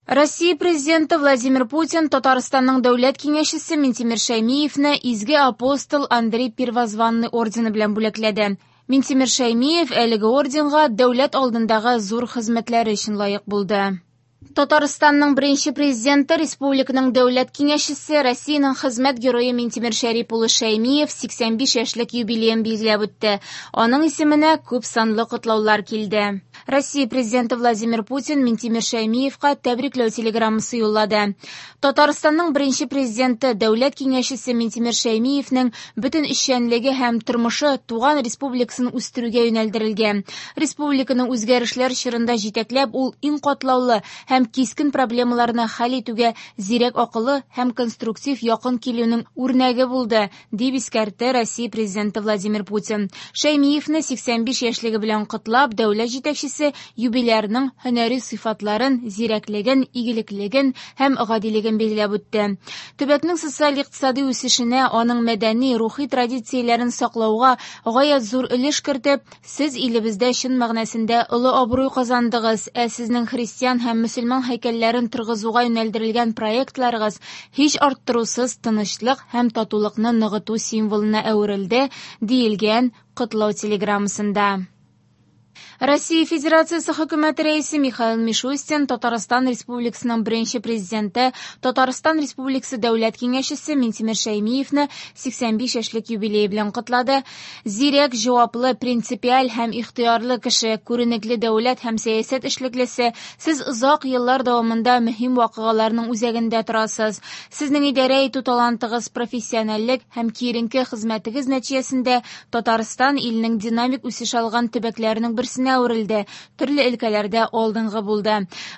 Россия Президенты Владимир Путин Татарстанның Дәүләт Киңәшчесе Минтимер Шәймиевне Изге Апостол Андрей Первозванный ордены белән бүләкләде. Минтимер Шәймиев әлеге орденга дәүләт алдындагы зур хезмәтләре өчен лаек булды. Татарстанның беренче президенты, республиканың Дәүләт Киңәшчесе, Россиянең хезмәт герое Минтимер Шәрип улы Шәймиев 85 яшьлек юбилеен билгеләп үтте. Аның исеменә күп санлы котлаулар килде. Россия Президенты Владимир Путин Минтимер Шәймиевка тәбрикләү телеграммасы юллады. Татарстанның беренче президенты, Дәүләт Киңәшчесе Минтимер Шәймиевнең бөтен эшчәнлеге һәм тормышы туган республикасын үстерүгә юнәлдерелгән. Республиканы үзгәрешләр чорында җитәкләп, ул иң катлаулы һәм кискен проблемаларны хәл итүгә зирәк акылы һәм конструктив якын килүнең үрнәге булды, дип искәртте Россия Президенты Владимир Путин. Шәймиевне 85 яшьлеге белән котлап, дәүләт җитәкчесе юбилярның һөнәри сыйфатларын, зирәклеген, игелеклеген һәм гадилеген билгеләп үтте. Төбәкнең социаль-икътисади үсешенә, аның мәдәни, рухи традицияләрен саклауга гаять зур өлеш кертеп, сез илебездә чын мәгънәсендә олы абруй казандыгыз, ә сезнең христиан һәм мөселман һәйкәлләрен торгызуга юнәлдерелгән проектларыгыз һич арттырусыз тынычлык һәм татулыкны ныгыту символына әверелде, диелгән котлау телеграммасында. Россия Федерациясе Хөкүмәте Рәисе Михаил Мишустин Татарстан Республикасының беренче президенты, Татарстан Республикасы Дәүләт Киңәшчесе Минтимер Шәймиевне 85 яшьлек юбилее белән котлады. Зирәк, җаваплы, принципиаль һәм ихтыярлы кеше, күренекле дәүләт һәм сәясәт эшлеклесе, сез озак еллар дәвамында мөһим вакыйгаларның үзәгендә торасыз. Сезнең идарә итү талантыгыз, профессиональлек һәм киеренке хезмәтегез нәтиҗәсендә Татарстан илнең динамик үсеш алган төбәкләренең берсенә әверелде, төрле өлкәләрдә алдынгы булды.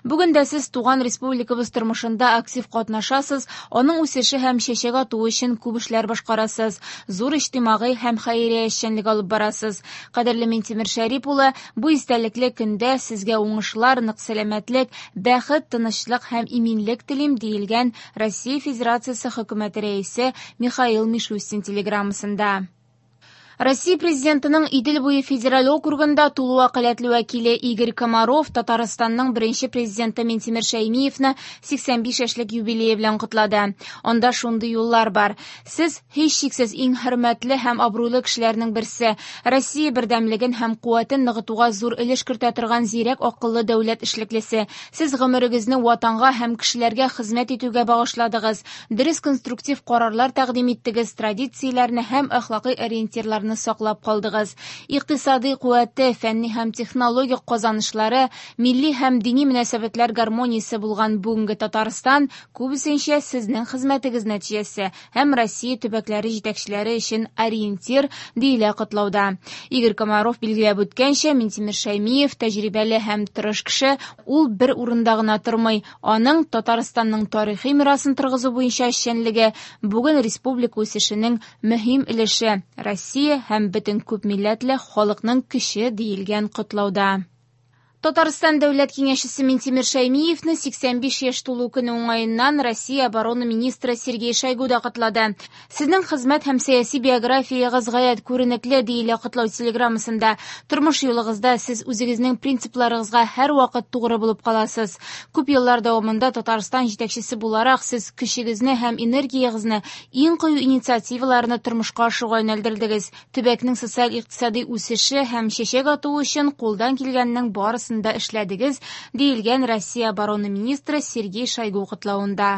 Бүген дә сез туган республикабыз тормышында актив катнашасыз, аның үсеше һәм чәчәк атуы өчен күп эшләр башкарасыз, зур иҗтимагый һәм хәйрия эшчәнлеге алып барасыз. Кадерле Минтимер Шәрип улы, бу истәлекле көндә сезгә уңышлар, нык сәламәтлек, бәхет, тынычлык һәм иминлек телим, диелгән Россия Федерациясе Хөкүмәте Рәисе Михаил Мишустин телеграммасында. Россия Президентының Идел буе федераль округында тулы вәкаләтле вәкиле Игорь Комаров Татарстанның беренче президенты Минтимер Шәймиевны 85 яшьлек юбилее белән котлады. Анда шундый юллар бар. Сез, һичшиксез, иң хөрмәтле һәм абруйлы кешеләрнең берсе. Россия бердәмлеген һәм куәтен ныгытуга зур өлеш кертә торган зирәк акыллы дәүләт эшлеклесе. Сез гомерегезне Ватанга һәм кешеләргә хезмәт итүгә багышладыгыз. Дөрес конструктив карарлар тәкъдим иттегез, традицияләрне һәм әхлакый ориентирларны саклап калдыгыз. Икътисадый куәте, фәнни һәм технологик казанышлары, милли һәм дини мөнәсәбәтләр гармониясе булган бүгенге Татарстан күбесенчә сезнең хезмәтегез нәтиҗәсе һәм Россия төбәкләре җитәкчеләре өчен ориентир, диелә котлауда. Игорь Комаров билгеләп үткәнчә, Минтимер Шәймиев тәҗрибәле һәм тырыш кеше, ул бер урында гына тормый. Аның Татарстанның тарихи мирасын торгызу буенча эшчәнлеге бүген республика үсешенең мөһим өлеше, Россия һәм бөтен күп милләтле халыкның көче, диелгән котлауда. Татарстан Дәүләт Киңәшчесе Минтимер Шәймиевне 85 яшь тулу көне уңаеннан Россия оборона министры Сергей Шойгу да котлады. Сезнең хезмәт һәм сәяси биографиягез гаять күренекле, диелә котлау телеграммасында. Тормыш юлыгызда сез үзегезнең принципларыгызга һәрвакыт тугры булып каласыз. Күп еллар дәвамында Татарстан җитәкчесе буларак сез көчегезне һәм энергиягезне иң кыю инициативаларны тормышка ашыруга юнәлдердегез. Төбәкнең социаль-икътисади үсеше һәм чәчәк атуы өчен кулдан килгәннең барысын да эшләдегез, диелгән Россия оборона министры Сергей Шойгу котлавында.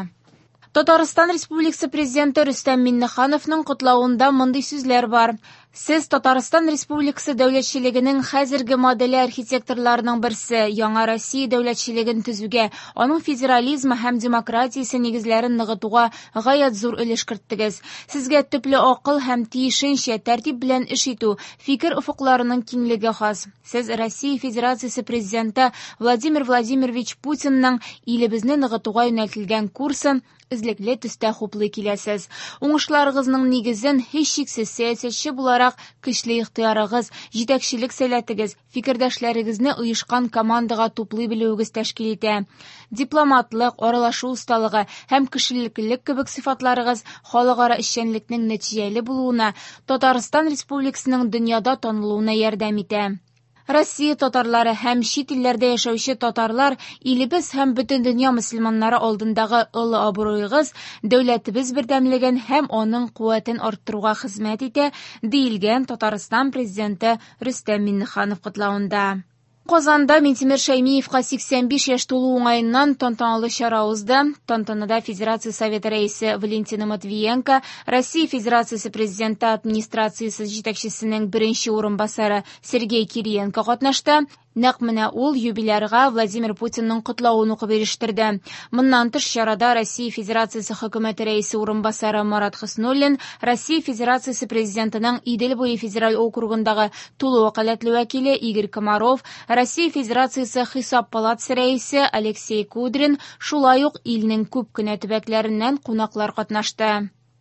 Татарстан Республикасы Президенты Рөстәм Миңнехановның котлавында мондый сүзләр бар. Сез Татарстан Республикасы дәүләтчелегенең хәзерге моделе архитекторларының берсе, яңа Россия дәүләтчелеген төзүгә, аның федерализмы һәм демократиясе нигезләрен ныгытуга гаять зур өлеш керттегез. Сезгә төпле акыл һәм тиешенчә тәртип белән эш итү, фикер офыкларының киңлеге хас. Сез Россия Федерациясе Президенты Владимир Владимирович Путинның илебезне ныгытуга юнәлтелгән курсын эзлекле төстә хуплый киләсез. Уңышларыгызның нигезен һичшиксез сәясәтче буларак көчле ихтыярыгыз, җитәкчелек сәләтегез, фикердәшләрегезне оешкан командага туплый белүегез тәшкил итә. Дипломатлык, аралашу осталыгы һәм кешелеклелек кебек сыйфатларыгыз халыкара эшчәнлекнең нәтиҗәле булуына, Татарстан Республикасының дөньяда танылуына ярдәм итә. Россия татарлары һәм чит илләрдә яшәүче татарлар, илебез һәм бөтен дөнья мөселманнары алдындагы олы абруегыз дәүләтебез бердәмлеген һәм аның куәтен арттыруга хезмәт итә, диелгән Татарстан Президенты Рөстәм Миңнеханов котлавында. Казанда Минтимер Шәймиевка 85 яшь тулу уңаеннан тантаналы чара узды. Тантанада Федерация Советы рәисе Валентина Матвиенко, Россия Федерациясе Президенты администрациясе җитәкчесенең беренче урынбасары Сергей Кириенко катнашты. Нәкъ менә ул юбилярга Владимир Путинның котлавын укып ирештерде. Моннан тыш чарада Россия Федерациясе Хөкүмәте рәисе урынбасары Марат Хөснуллин, Россия Федерациясе Президентының Идел буе федераль округындагы тулы вәкаләтле вәкиле Игорь Комаров, Россия Федерациясе Хисап палатасы рәисе Алексей Кудрин, шулай ук илнең күп кенә төбәкләреннән кунаклар катнашты.